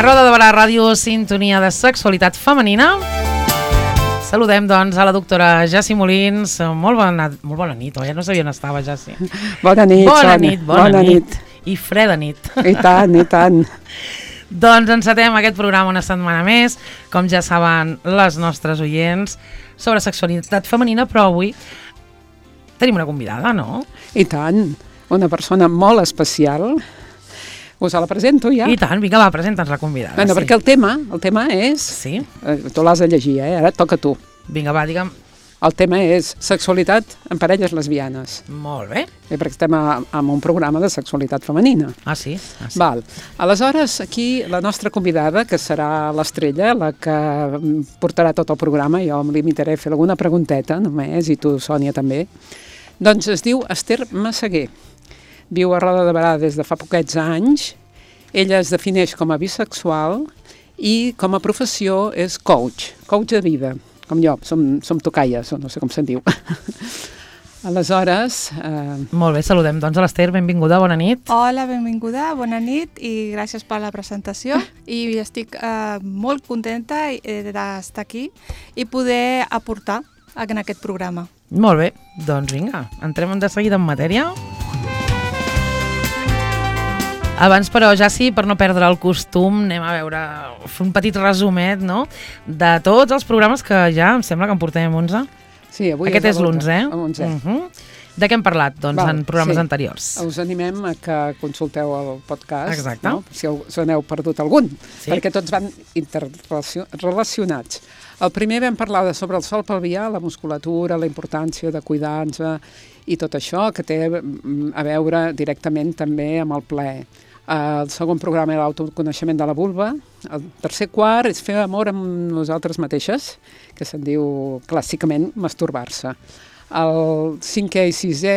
A Roda de Barà Ràdio, sintonia de sexualitat femenina. Saludem, doncs, a la doctora Jassi Molins. Molt bona nit, oi? No sabia on estava, Jassi. Bona nit, Sònia. Bona nit. I freda nit. I tant. Doncs encetem aquest programa una setmana més, com ja saben les nostres oients, sobre sexualitat femenina, però avui tenim una convidada, no? I tant, una persona molt especial. Us la presento ja? I tant, vinga, va, presenta'ns la convidada. Bueno, perquè el tema és... Sí? Tu l'has de llegir, ara et toca a tu. Vinga, va, digue'm. El tema és sexualitat en parelles lesbianes. Molt bé. Perquè estem en un programa de sexualitat femenina. Ah, sí? Val. Aleshores, aquí la nostra convidada, que serà l'Estrella, la que portarà tot el programa, jo em limitaré a fer alguna pregunteta només, i tu, Sònia, també. Doncs es diu Esther Massaguer. Viu a Roda de Barà des de fa poquets anys. Ella es defineix com a bisexual i com a professió és coach de vida, com jo, som tocaies, o no sé com se'n diu. Aleshores... Molt bé, saludem doncs a l'Esther, benvinguda, bona nit. Hola, benvinguda, bona nit i gràcies per la presentació. I estic molt contenta d'estar aquí i poder aportar en aquest programa. Molt bé, doncs vinga, entrem de seguida en matèria. Abans, però, ja sí, per no perdre el costum, anem a veure, fer un petit resumet, no?, de tots els programes que ja, em sembla que en portem 11. Sí, avui aquest és l'11, De què hem parlat, doncs, en programes anteriors? Us animem a que consulteu el podcast. Exacte. No? Si us n'heu perdut algun, perquè tots van interrelacionats. El primer vam parlar sobre el sòl pelvià, la musculatura, la importància de cuidar-nos i tot això, que té a veure directament també amb el plaer. El segon programa era l'autoconeixement de la vulva. El tercer quart és fer amor amb nosaltres mateixes, que se'n diu clàssicament masturbar-se. El cinquè i sisè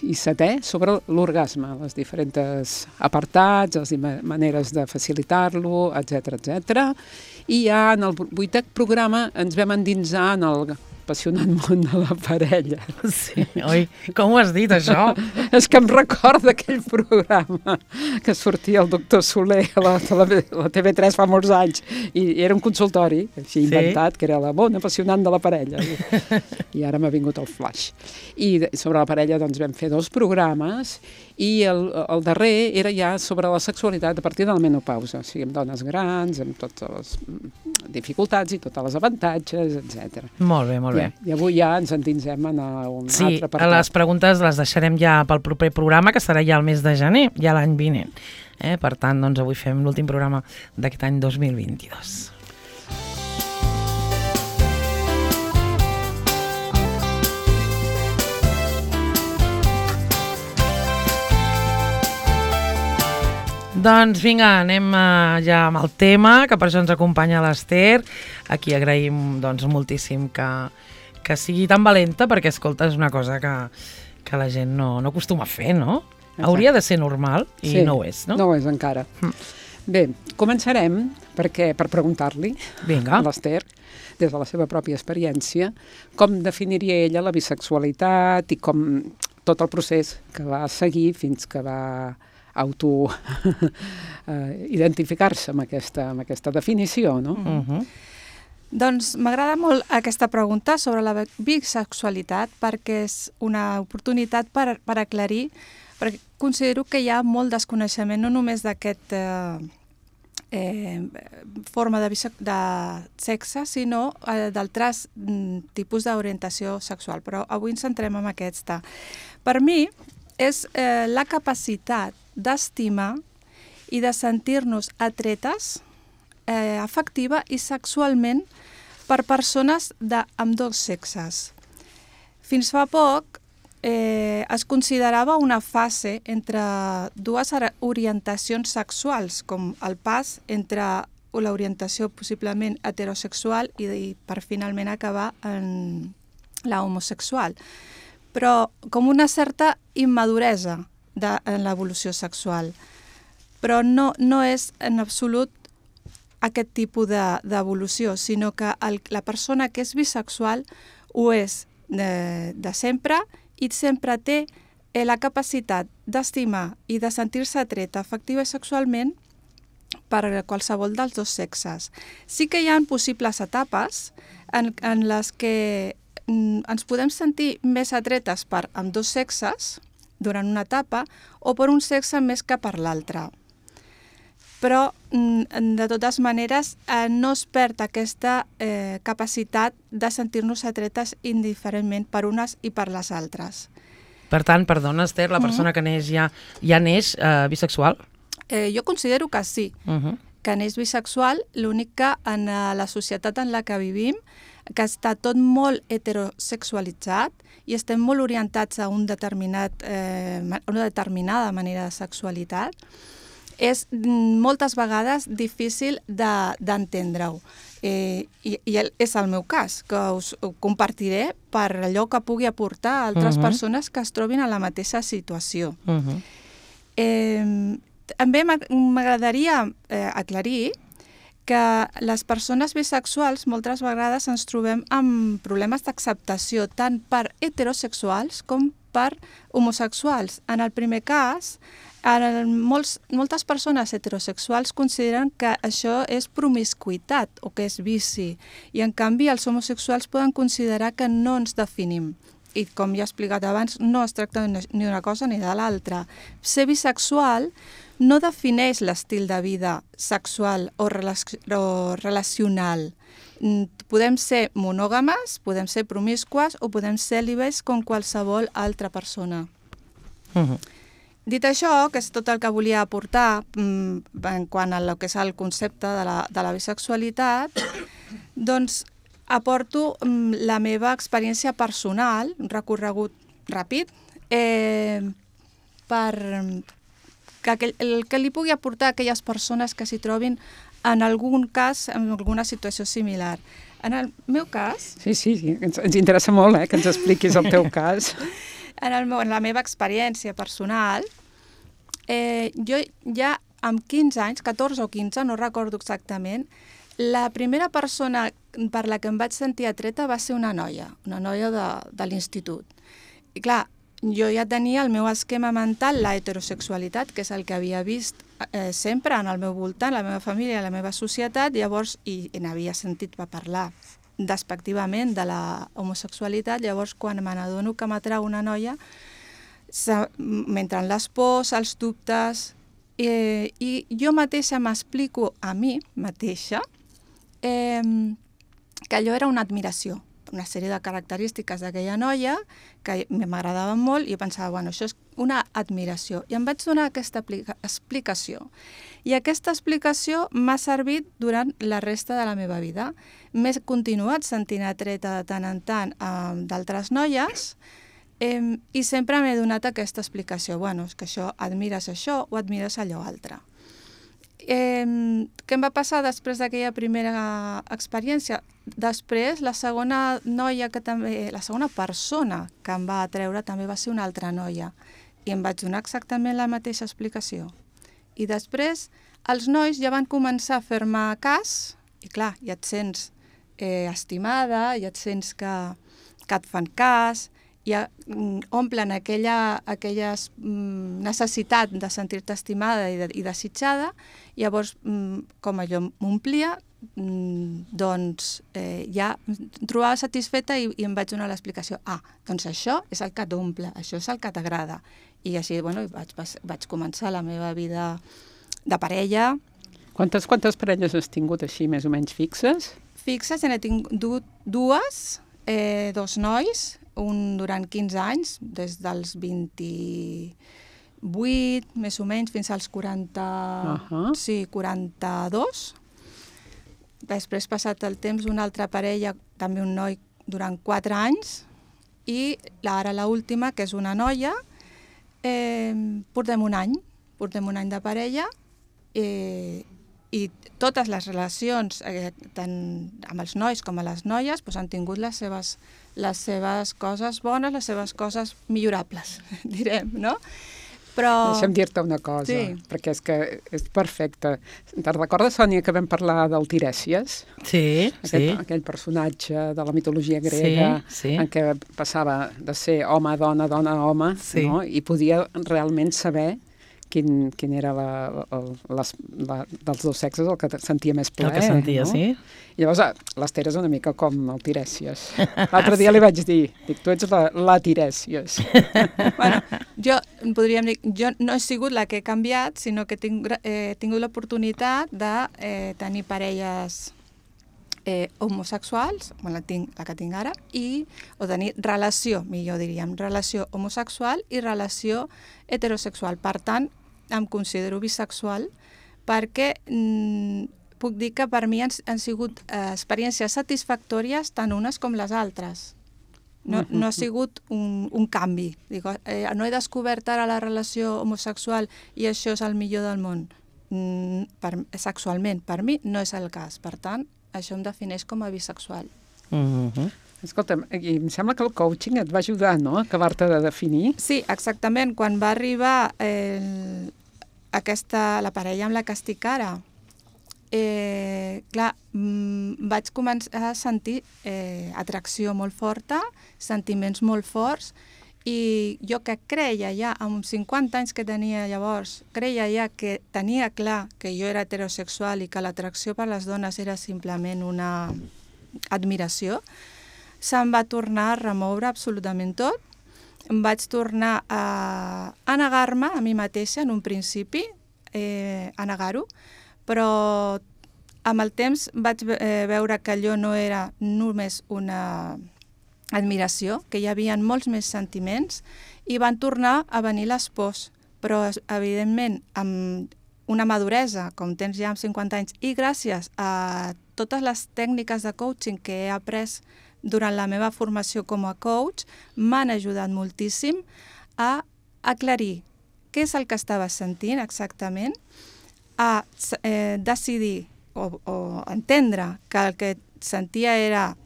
i setè sobre l'orgasme, les diferents apartats, les maneres de facilitar-lo, etc. I ja en el vuitè programa ens vam endinsar en el apassionant món de la parella. Sí, oi? Com ho has dit, això? És que em recorda aquell programa que sortia el doctor Soler a la TV3 fa molts anys i era un consultori, així inventat, que era la món apassionant de la parella. I ara m'ha vingut el flash. I sobre la parella doncs vam fer 2 programes i el darrer era ja sobre la sexualitat a partir de la menopausa, o sigui, amb dones grans, amb totes les dificultats i tots els avantatges, etc. Molt bé, molt bé. I avui ja ens endinsem en un altre apartat. Sí, les preguntes les deixarem ja pel proper programa, que serà ja el mes de gener, ja l'any vinent. Per tant, doncs avui fem l'últim programa d'aquest any 2022. Doncs vinga, anem ja amb el tema, que per això ens acompanya l'Esther. Aquí agraïm doncs, moltíssim que sigui tan valenta, perquè, escolta, és una cosa que la gent no acostuma a fer, no? Exacte. Hauria de ser normal i no ho és, no? No ho és encara. Bé, començarem per preguntar-li a l'Esther, des de la seva pròpia experiència, com definiria ella la bisexualitat i com tot el procés que va seguir fins que va identificar-se amb aquesta definició, no? Doncs m'agrada molt aquesta pregunta sobre la bisexualitat perquè és una oportunitat per aclarir, perquè considero que hi ha molt desconeixement no només d'aquest forma de sexe, sinó d'altres tipus d'orientació sexual, però avui ens centrem en aquesta. Per mi és la capacitat d'estimar i de sentir-nos atretes afectiva i sexualment per persones d'ambdós sexes. Fins fa poc es considerava una fase entre dues orientacions sexuals, com el pas entre l'orientació possiblement heterosexual i per finalment acabar en la homosexual. Però com una certa immaduresa en l'evolució sexual. Però no és en absolut aquest tipus d'evolució, sinó que la persona que és bisexual ho és de sempre i sempre té la capacitat d'estimar i de sentir-se atreta afectiva i sexualment per qualsevol dels dos sexes. Sí que hi ha possibles etapes en les que ens podem sentir més atretes per ambdós sexes durant una etapa o per un sexe més que per l'altre. Però, de totes maneres, no es perd aquesta capacitat de sentir-nos atretes indiferentment per unes i per les altres. Per tant, perdona, Esther, la persona que neix ja neix bisexual? Jo considero que sí, que neix bisexual, l'únic que en la societat en la que vivim, que està tot molt heterosexualitzat i estem molt orientats a una determinada manera de sexualitat, és moltes vegades difícil d'entendre-ho. I és el meu cas, que us ho compartiré per allò que pugui aportar a altres persones que es trobin en la mateixa situació. També m'agradaria aclarir que les persones bisexuals moltes vegades ens trobem amb problemes d'acceptació tant per heterosexuals com per homosexuals. En el primer cas, moltes persones heterosexuals consideren que això és promiscuitat o que és vici i en canvi els homosexuals poden considerar que no ens definim. I com ja he explicat abans, no es tracta ni d'una cosa ni de l'altra. Ser bisexual no defineix l'estil de vida sexual o relacional. Podem ser monògames, podem ser promiscues o podem ser cèlibes com qualsevol altra persona. Dit això, que és tot el que volia aportar en quant a lo que és el concepte de la bisexualitat, doncs aporto la meva experiència personal, un recorregut ràpid, el que li pugui aportar a aquelles persones que s'hi trobin en algun cas, en alguna situació similar. En el meu cas... Sí, ens interessa molt que ens expliquis el teu cas. En la meva experiència personal, jo ja amb 15 anys, 14 o 15, no recordo exactament, la primera persona per la que em vaig sentir atreta va ser una noia de l'institut. I clar, jo ja tenia el meu esquema mental, la heterosexualitat, que és el que havia vist sempre en el meu voltant, la meva família, la meva societat, llavors, i n'havia sentit parlar despectivament de la homosexualitat, llavors quan me n'adono que m'atrau una noia, m'entren les pors, els dubtes, i jo mateixa m'explico a mi mateixa que allò era una admiració, una sèrie de característiques d'aquella noia que m'agradaven molt i pensava, bueno, això és una admiració. I em vaig donar aquesta explicació. I aquesta explicació m'ha servit durant la resta de la meva vida. M'he continuat sentint atreta de tant en tant d'altres noies i sempre m'he donat aquesta explicació. Bueno, és que admires això o admires allò altre. Què em va passar després d'aquella primera experiència? Després, la segona persona que em va atreure també va ser una altra noia i em vaig donar exactament la mateixa explicació. I després els nois ja van començar a fer-me cas i clar, ja et sents estimada, ja et sents que et fan cas, ja omplen aquella necessitat de sentir-te estimada i desitjada, llavors, com allò m'omplia, doncs ja em trobava satisfeta i em vaig donar l'explicació. Doncs això és el que t'omple, això és el que t'agrada. I així, bueno, vaig començar la meva vida de parella. Quantes parelles has tingut així, més o menys fixes? Fixes, n'he tingut dues, dos nois, un durant 15 anys, des dels 28, més o menys, fins als 42. Després, passat el temps, una altra parella, també un noi, durant 4 anys, i ara l'última, que és una noia, portem un any de parella, i totes les relacions, tant amb els nois com a les noies, han tingut les seves coses bones, les seves coses millorables, direm, no? Però... Deixa'm dir-te una cosa, perquè és que és perfecte. Te'n recordes, Sònia, que vam parlar del Tirèsies? Sí. Aquell personatge de la mitologia grega en què passava de ser home, dona, home, no? I podia realment saber quin era dels dos sexes el que sentia més plaer. El que sentia, no? sí. I llavors l'Ester és una mica com el Tirèsies. L'altre dia li vaig dir, tu ets la Tirèsies. Bueno, podríem dir, jo no he sigut la que he canviat, sinó que he tingut l'oportunitat de tenir parelles homosexuals, la que tinc ara, o tenir relació, millor diríem, relació homosexual i relació heterosexual. Per tant, em considero bisexual perquè puc dir que per mi han sigut experiències satisfactòries tant unes com les altres. No ha sigut un canvi. Digo, no he descobert ara la relació homosexual i això és el millor del món. Sexualment, per mi no és el cas. Per tant, això em defineix com a bisexual. Escolta'm, em sembla que el coaching et va ajudar, no?, a acabar-te de definir. Sí, exactament. Quan va arribar la parella amb la que estic ara, clar, vaig començar a sentir atracció molt forta, sentiments molt forts, i jo que creia ja, amb 50 anys que tenia llavors, creia ja que tenia clar que jo era heterosexual i que l'atracció per les dones era simplement una admiració, se'm va tornar a remoure absolutament tot. Em vaig tornar a negar-me a mi mateixa en un principi, a negar-ho, però amb el temps vaig veure que allò no era només una admiració, que hi havia molts més sentiments, i van tornar a venir les pors. Però, evidentment, amb una maduresa, com tens ja amb 50 anys, i gràcies a totes les tècniques de coaching que he après durant la meva formació com a coach, m'han ajudat moltíssim a aclarir què és el que estava sentint exactament, a decidir o entendre que el que sentia era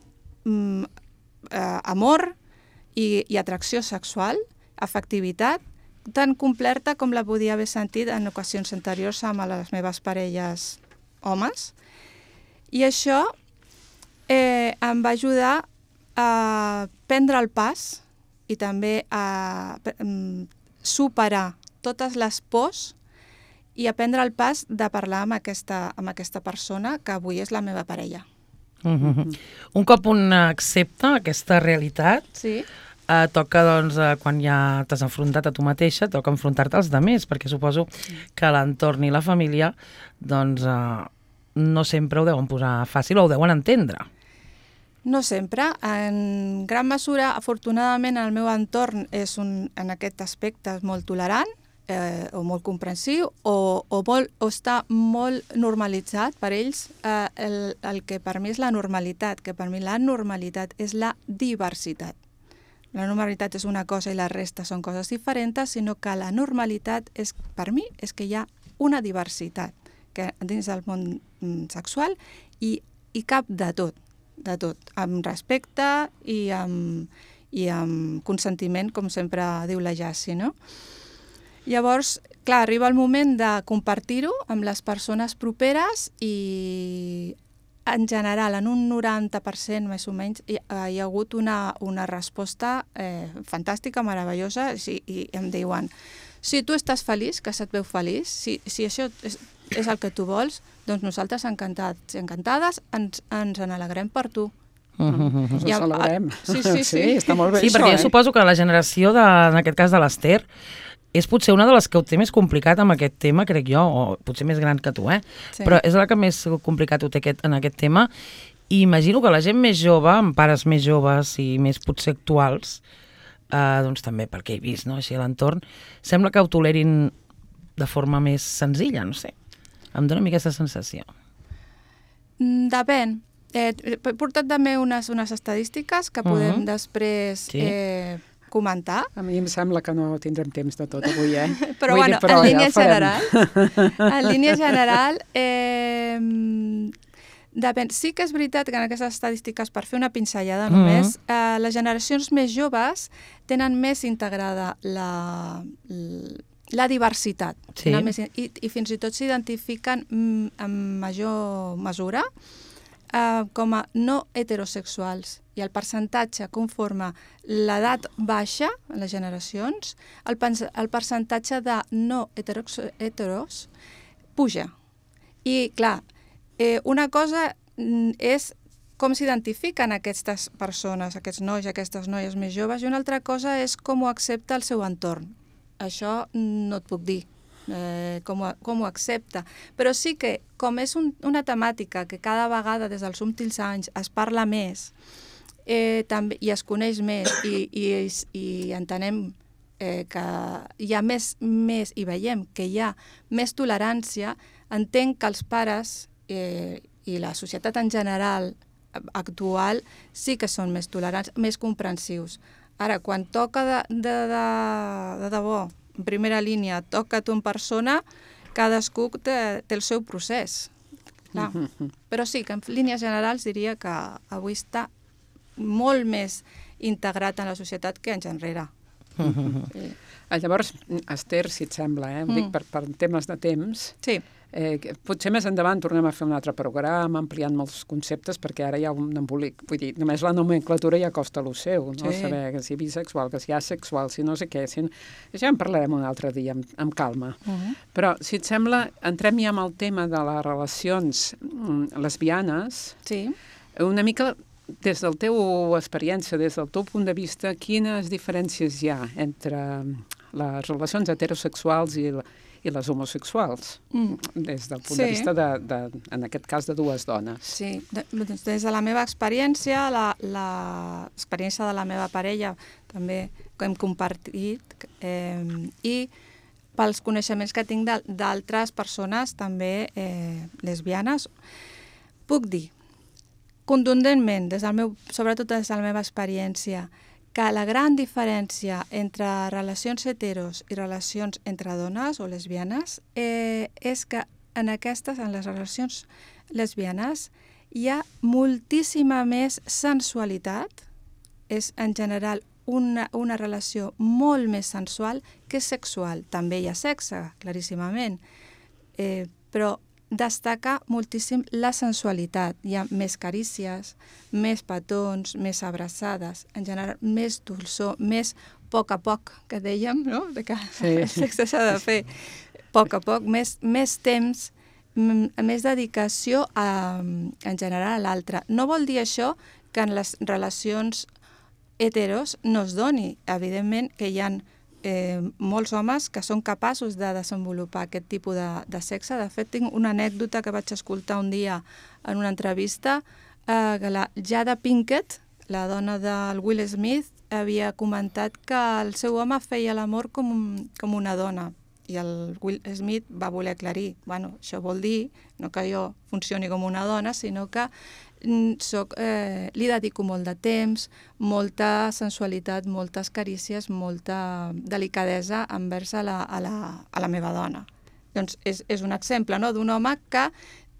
amor i atracció sexual, afectivitat, tan completa com la podia haver sentit en ocasions anteriors amb les meves parelles homes. I això em va ajudar a prendre el pas i també a superar totes les pors i a prendre el pas de parlar amb aquesta persona que avui és la meva parella. Un cop un accepta aquesta realitat, sí, toca, doncs, quan ja t'has enfrontat a tu mateixa, toca enfrontar-te als altres, perquè suposo que l'entorn i la família doncs, no sempre ho deuen posar fàcil o ho deuen entendre. No sempre. En gran mesura, afortunadament, el meu entorn és en aquest aspecte molt tolerant, o molt comprensiu, o està molt normalitzat per ells el que per mi és la normalitat, que per mi la normalitat és la diversitat. La normalitat és una cosa i la resta són coses diferents, sinó que la normalitat per mi és que hi ha una diversitat que dins del món sexual i cap de tot, amb respecte i amb consentiment, com sempre diu la Jassi, no? Llavors, clar, arriba el moment de compartir-ho amb les persones properes i en general, en un 90% més o menys, hi ha hagut una resposta fantàstica, meravellosa, i em diuen, si tu estàs feliç, que se't veu feliç, si això és el que tu vols, doncs nosaltres encantats i encantades ens n'alegrem per tu. Ens ho celebrem. Sí, està molt bé això. Sí, perquè jo suposo que la generació, en aquest cas de l'Ester, és potser una de les que ho té més complicat amb aquest tema, crec jo, o potser més gran que tu, Sí. Però és la que més complicat ho té en aquest tema, i imagino que la gent més jove, amb pares més joves i més potser actuals, doncs també, perquè he vist, no?, així a l'entorn, sembla que ho tolerin de forma més senzilla, no sé. Em dóna a mi aquesta sensació. Depèn. He portat també unes estadístiques que podem després comentar. A mi em sembla que no tindrem temps de tot avui, Però, bueno, en línia general, depèn. Sí que és veritat que en aquestes estadístiques, per fer una pinzellada només, les generacions més joves tenen més integrada la diversitat. Sí. I fins i tot s'identifiquen en major mesura com a no heterosexuals i el percentatge conforme l'edat baixa en les generacions, el percentatge de no heteros puja. I, clar, una cosa és com s'identifiquen aquestes persones, aquests nois, aquestes noies més joves, i una altra cosa és com ho accepta el seu entorn. Això no et puc dir. Com ho accepta, però sí que com és una temàtica que cada vegada des dels últims anys es parla més també, i es coneix més i entenem que hi ha més i veiem que hi ha més tolerància, entenc que els pares i la societat en general actual sí que són més tolerants, més comprensius. Ara, quan toca de debò, en primera línia, toca tu en persona, cadascú té el seu procés. Clar. Però sí, que en línies generals diria que avui està molt més integrat en la societat que anys enrere. Llavors, Esther, si et sembla, ho dic per temes de temps, sí. Potser més endavant tornem a fer un altre programa ampliant molts conceptes, perquè ara hi ha un embolic. Vull dir, només la nomenclatura ja costa lo seu, no? Sí. Saber que si bisexual, que si asexual, si no sé què. Ja en parlarem un altre dia, amb calma. Però, si et sembla, entrem ja amb el tema de les relacions lesbianes. Sí. Una mica des del teu experiència, des del teu punt de vista, quines diferències hi ha entre les relacions heterosexuals i les homosexuals, des del punt de vista, en aquest cas, de dues dones. Sí, des de la meva experiència, l'experiència de la meva parella també que hem compartit, i pels coneixements que tinc d'altres persones també lesbianes, puc dir contundentment, sobretot des de la meva experiència, que la gran diferència entre relacions heteros i relacions entre dones o lesbianes és que en les relacions lesbianes hi ha moltíssima més sensualitat, és en general una relació molt més sensual que sexual. També hi ha sexe, claríssimament, però destaca moltíssim la sensualitat. Hi ha més carícies, més petons, més abraçades, en general més dolçor, més poc a poc, que dèiem, no? Que el sexe s'ha de fer a poc, més temps, més dedicació en general a l'altre. No vol dir això que en les relacions heteros no es doni. Evidentment que hi ha molts homes que són capaços de desenvolupar aquest tipus de sexe. De fet, tinc una anècdota que vaig escoltar un dia en una entrevista, que la Jada Pinkett, la dona del Will Smith, havia comentat que el seu home feia l'amor com una dona, i el Will Smith va voler aclarir, bueno, això vol dir no que jo funcioni com una dona, sinó que li dedico molt de temps, molta sensualitat, moltes carícies, molta delicadesa envers a la meva dona. Doncs és un exemple, no?, d'un home que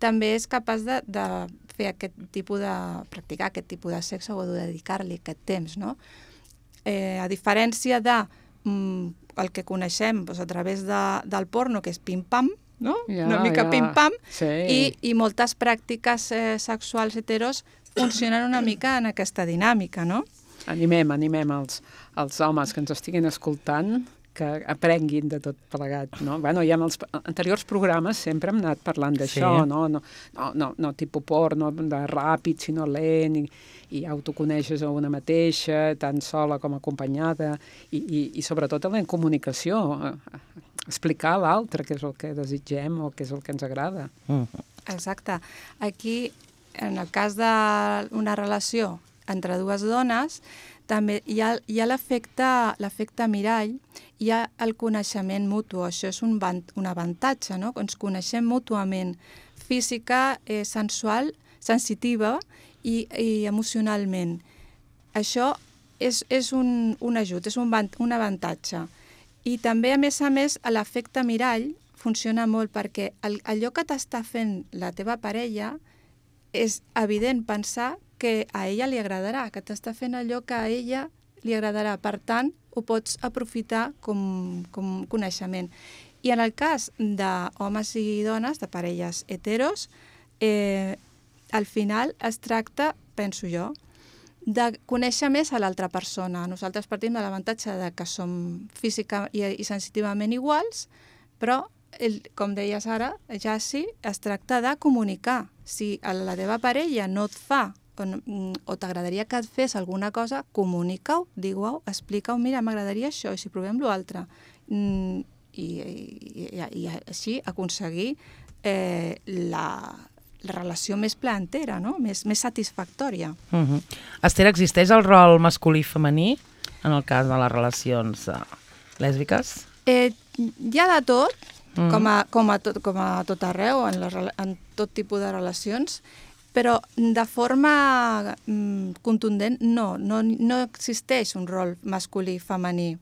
també és capaç de fer aquest tipus practicar aquest tipus de sexe o de dedicar-li aquest temps, no? A diferència de el que coneixem a través del porno, que és pim-pam, no? Una mica pim-pam, i moltes pràctiques sexuals heteros funcionen una mica en aquesta dinàmica, no? Animem els homes que ens estiguin escoltant que aprenguin de tot plegat, no? Bueno, ja en els anteriors programes sempre hem anat parlant d'això, no tipus porno de ràpid, sinó lent, i autoconeixes a una mateixa, tant sola com acompanyada, i sobretot en la comunicació, explicar a l'altre què és el que desitgem o què és el que ens agrada. Exacte. Aquí, en el cas d'una relació entre dues dones, també hi ha l'efecte mirall, hi ha el coneixement mutu. Això és un avantatge, no? Ens coneixem mútuament, física, sensual, sensitiva i emocionalment. Això és un ajut, és un avantatge. I també, a més, l'efecte mirall funciona molt perquè allò que t'està fent la teva parella és evident pensar que a ella li agradarà, que t'està fent allò que a ella li agradarà. Per tant, ho pots aprofitar com coneixement. I en el cas d'homes i dones, de parelles heteros, al final es tracta, penso jo, de conèixer més a l'altra persona. Nosaltres partim de l'avantatge de que som física i sensitivament iguals, però, com deies ara, ja sí, es tracta de comunicar. Si la teva parella no et fa o t'agradaria que et fes alguna cosa, comunica-ho, digue-ho, explica-ho, mira, m'agradaria això, i si provem l'altre. I així aconseguir la relació més placentera, no? Més satisfactòria. Esther, existeix el rol masculí i femení en el cas de les relacions lèsbiques? Hi ha de tot, com a tot arreu, en tot tipus de relacions, però de forma contundent no existeix un rol masculí i femení.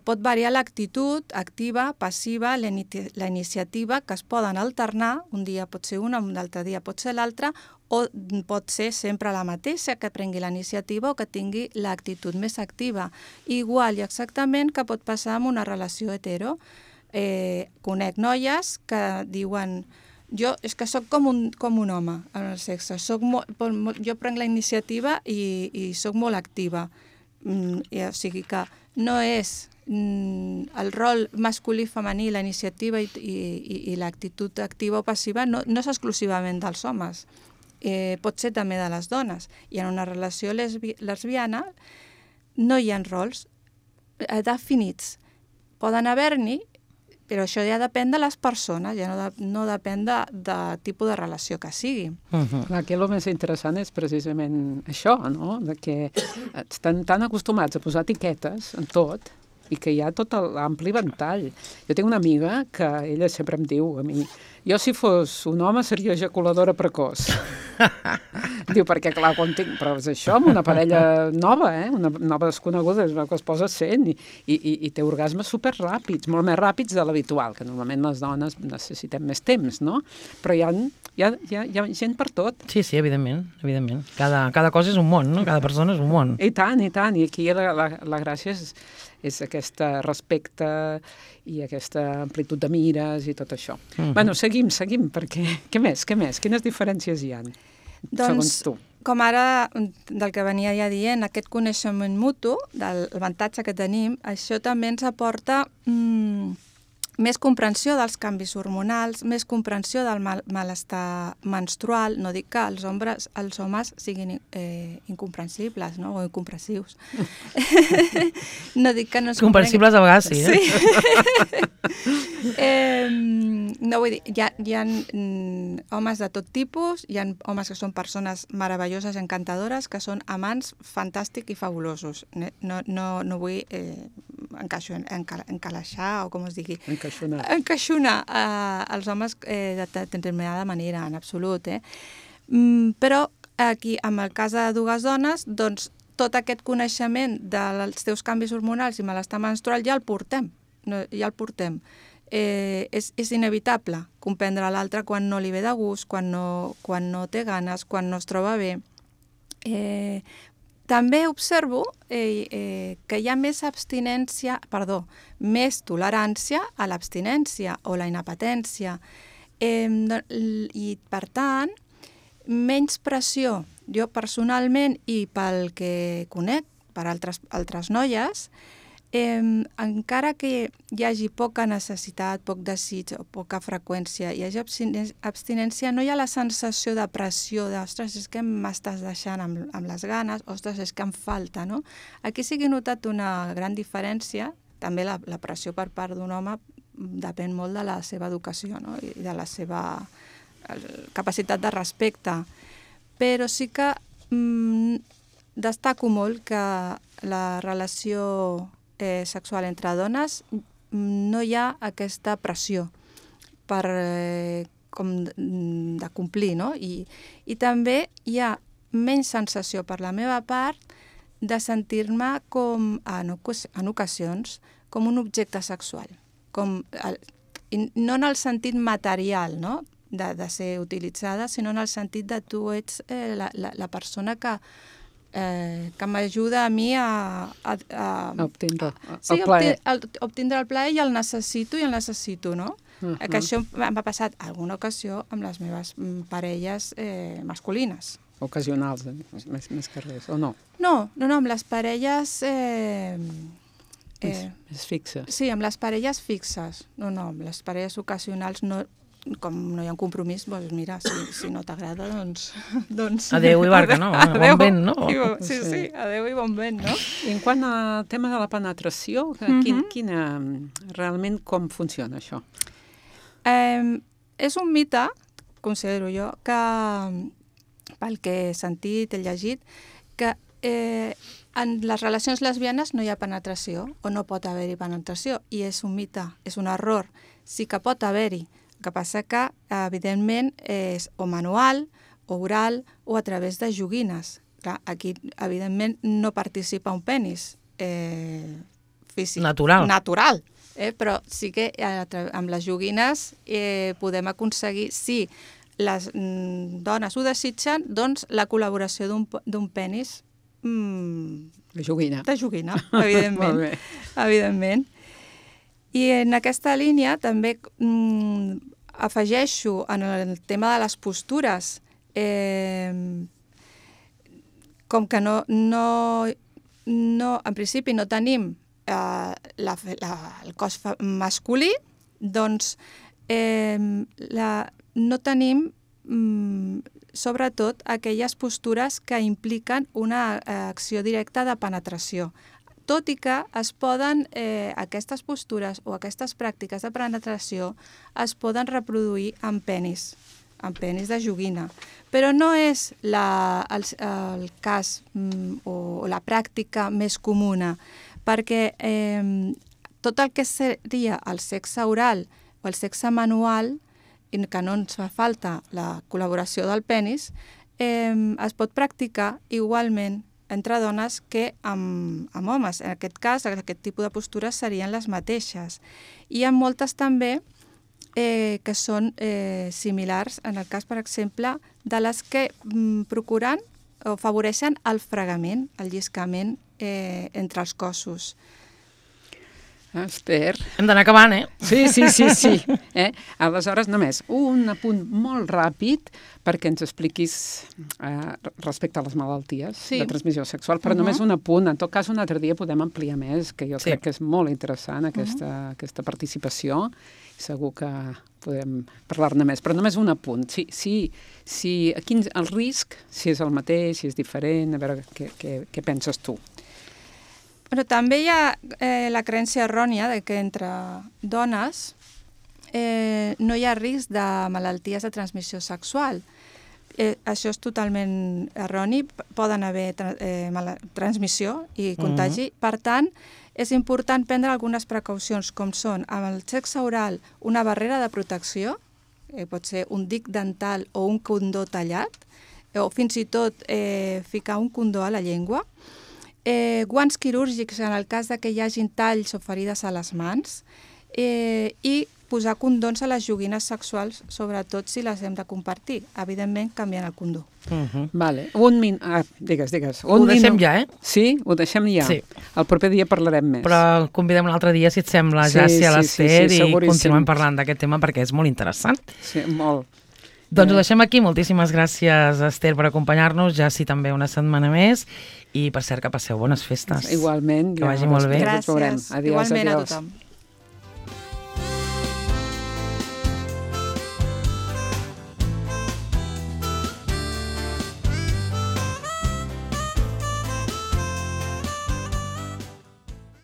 Pot variar l'actitud activa, passiva, la iniciativa, que es poden alternar, un dia pot ser una, un altre dia pot ser l'altra, o pot ser sempre la mateixa, que prengui la iniciativa o que tingui l'actitud més activa. Igual i exactament que pot passar amb una relació hetero. Conec noies que diuen: jo és que sóc com un home en el sexe, jo prenc la iniciativa i sóc molt activa. O sigui que no és el rol masculí i femení, la iniciativa i l'actitud activa o passiva no és exclusivament dels homes, pot ser també de les dones. I en una relació lesbiana no hi ha rols definits. Poden haver-n'hi, però això ja depèn de les persones, ja no depèn de tipus de relació que sigui. Aquí el més interessant és precisament això, no? De que estan tan acostumats a posar etiquetes en tot i que hi ha tot l'ampli ventall. Jo tinc una amiga que ella sempre em diu a mi: jo si fos un home seria ejaculadora precoç. Diu, perquè clar, quan tinc... Però és això, amb una parella nova, una nova desconeguda, és que es posa sent i té orgasmes superràpids, molt més ràpids de l'habitual, que normalment les dones necessitem més temps, no? Però hi ha gent per tot. Sí, evidentment. Cada cosa és un món, no? Cada persona és un món. I tant. I aquí la gràcia és aquest respecte i aquesta amplitud de mires i tot això. Bueno, seguim, perquè què més? Quines diferències hi ha, segons tu? Com ara, del que venia ja dient, aquest coneixement mutu, del avantatge que tenim, això també ens aporta més comprensió dels canvis hormonals, més comprensió del malestar menstrual. No dic que els homes siguin incomprensibles, no? O incomprensius. No dic que no es comprensibles a vegades, sí. No, vull dir, hi ha homes de tot tipus, hi ha homes que són persones meravelloses, encantadores, que són amants fantàstics i fabulosos. No vull encalaixar, o com es digui. Encaixonar els homes de determinada manera, en absolut. Però aquí, amb el cas de dues dones, doncs tot aquest coneixement dels teus canvis hormonals i malestar menstrual ja el portem. És inevitable comprendre l'altre quan no li ve de gust, quan no té ganes, quan no es troba bé. També observo que hi ha més tolerància a l'abstinència o la inapetència. I, per tant, menys pressió. Jo personalment, i pel que conec, per altres noies, encara que hi hagi poca necessitat, poc desig o poca freqüència, hi hagi abstinència, no hi ha la sensació de pressió, ostres, és que m'estàs deixant amb les ganes, ostres, és que em falta, no? Aquí sí que he notat una gran diferència. També la pressió per part d'un home depèn molt de la seva educació, no? I de la seva capacitat de respecte. Però sí que destaco molt que la relació sexual entre dones no hi ha aquesta pressió de complir, no? I també hi ha menys sensació per la meva part de sentir-me com, en ocasions, com un objecte sexual. No en el sentit material, no?, de ser utilitzada, sinó en el sentit de tu ets la persona que m'ajuda a mi a obtindre el plaer. Sí, obtindre el plaer, i el necessito, no? Que això m'ha passat alguna ocasió amb les meves parelles masculines. Ocasionals, més que res, o no? No, amb les parelles... Més fixes. Sí, amb les parelles fixes. No, amb les parelles ocasionals no... Com no hi ha un compromís, doncs mira, si no t'agrada, doncs... Adéu i barca, no? Bon vent, no? Sí, adéu i bon vent, no? I en quant al tema de la penetració, realment com funciona això? És un mite, considero jo, que pel que he sentit, he llegit, que en les relacions lesbianes no hi ha penetració o no pot haver-hi penetració, i és un mite, és un error. Sí que pot haver-hi. El que passa que, evidentment, és o manual, o oral, o a través de joguines. Clar, aquí, evidentment, no participa un penis físic. Natural. Però sí que amb les joguines podem aconseguir, si les dones ho desitgen, doncs la col·laboració d'un penis de joguina, evidentment. Evidentment. I en aquesta línia també afegeixo en el tema de les postures, com que en principi no tenim el cos masculí, doncs no tenim sobretot aquelles postures que impliquen una acció directa de penetració. Tot i que es poden, aquestes postures o aquestes pràctiques de penetració es poden reproduir amb penis de joguina. Però no és el cas o la pràctica més comuna, perquè tot el que seria el sexe oral o el sexe manual, i que no ens fa falta la col·laboració del penis, es pot practicar igualment entre dones que amb homes. En aquest cas, aquest tipus de postures serien les mateixes. Hi ha moltes també que són similars, en el cas, per exemple, de les que procuren o afavoreixen el fregament, el lliscament entre els cossos. Esther. Hem d'anar acabant, Sí. Aleshores, només un apunt molt ràpid perquè ens expliquis respecte a les malalties de transmissió sexual, però només un apunt. En tot cas, un altre dia podem ampliar més, que jo crec que és molt interessant aquesta participació. Segur que podem parlar-ne més, però només un apunt. El risc, si és el mateix, si és diferent, a veure què penses tu. Però també hi ha la creença errònia de que entre dones no hi ha risc de malalties de transmissió sexual. Això és totalment erroni, poden haver transmissió i contagi. Per tant, és important prendre algunes precaucions, com són amb el sexe oral una barrera de protecció, pot ser un dic dental o un condó tallat, o fins i tot ficar un condó a la llengua, guants quirúrgics en el cas que hi hagin talls o ferides a les mans, i posar condons a les joguines sexuals, sobretot si les hem de compartir, evidentment canviant el condó. Vale. Digues. Ho deixem ja, Sí? Ho deixem ja? Sí. El proper dia parlarem més. Però convidem un altre dia, si et sembla, ja a l'Ester, i continuem parlant d'aquest tema perquè és molt interessant. Sí, molt. Doncs ho deixem aquí. Moltíssimes gràcies, Esther, per acompanyar-nos, ja sí també una setmana més, i per cert que passeu bones festes. Igualment. Que vagi molt bé. Gràcies. Igualment a tothom.